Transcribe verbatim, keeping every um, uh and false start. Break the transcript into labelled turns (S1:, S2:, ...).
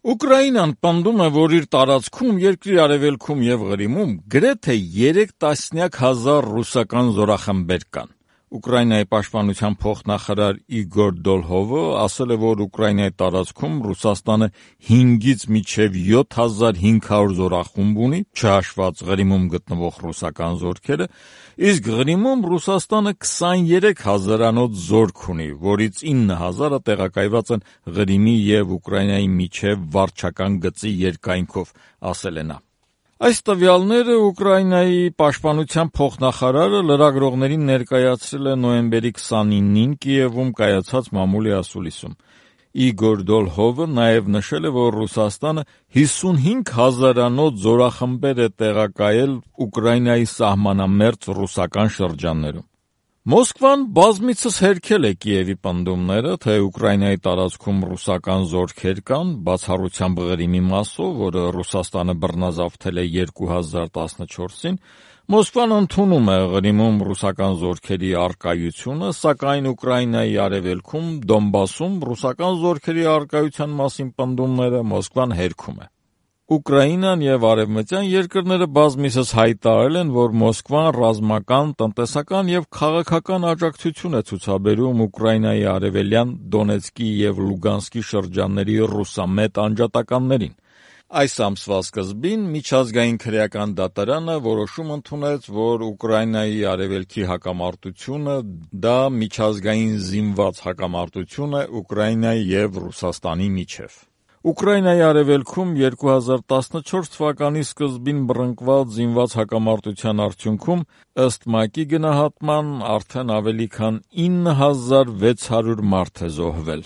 S1: Ուկրաինան պնդում է, որ իր տարածքում, երկրի արևելքում և Ղրիմում գրեթե երեք տասնյակ հազար ռուսական զորախմբեր կան։ Ուկրաինայի պաշտպանության փոխնախարար Իգոր Դոլհովը ասել է, որ Ուկրաինայի տարածքում Ռուսաստանը հինգից մինչև յոթ հազար հինգ հարյուր զորախումբ ունի, չհաշված Ղրիմում գտնվող ռուսական զորքերը, իսկ Ղրիմում Ռուսաստանը քսաներեք հազարանոց զորք ունի, որից ինը հազարը տեղակայված են Ղրիմի և Ուկրաինայի միջև վարչական գծի երկայնքով, ասել է նա։ Այս տվյալները Ուկրաինայի պաշտպանության փոխնախարարը լրագրողներին ներկայացրել է նոյեմբերի քսանինին Կիևում կայացած մամուլի ասուլիսում։ Իգոր Դոլհովը նաև նշել է, որ Ռուսաստանը հիսունհինգ հազարանոց զորախմբեր է տեղակայել Ուկրաինայի սահմանամերձ ռուսական շրջաններում։ Մոսկվան բազմիցս հերքել է Կիևի պնդումները, թե Ուկրաինայի տարածքում ռուսական զորքեր կան, բացառությամբ Ղրիմի մասով, որը Ռուսաստանը բռնազավթել է երկու հազար տասնչորսին, Մոսկվան ընդունում է Ղրիմում ռուսական զորքերի առկայությունը, սակայն Ուկրաինայի արևելքում, Դոնբասում ռուսական զորքերի առկայության մասին պնդումները Մոսկվան հերքում է։ Ուկրաինան և արևմտյան երկրները բազմիցս հայտարարել են, որ Մոսկվան ռազմական, տնտեսական և քաղաքական աջակցություն է ցուցաբերում Ուկրաինայի արևելյան Դոնեցկի և Լուգանսկի շրջանների ռուսամետ անջատականներին։ Այս ամսվա սկզբին Միջազգային քրեական դատարանը որոշում ընդունեց, որ Ուկրաինայի արևելքի հակամարտությունը դա միջազգային զինված հակամարտություն է Ուկրաինայի և Ռուսաստանի միջև։ Ուկրաինայի արևելքում երկու հազար տասնչորս թվականի սկզբին բռնկված զինված հակամարտության արդյունքում, ըստ ՄԱԿ-ի գնահատման, արդեն ավելի քան ինը հազար վեց հարյուր մարդ է զոհվել։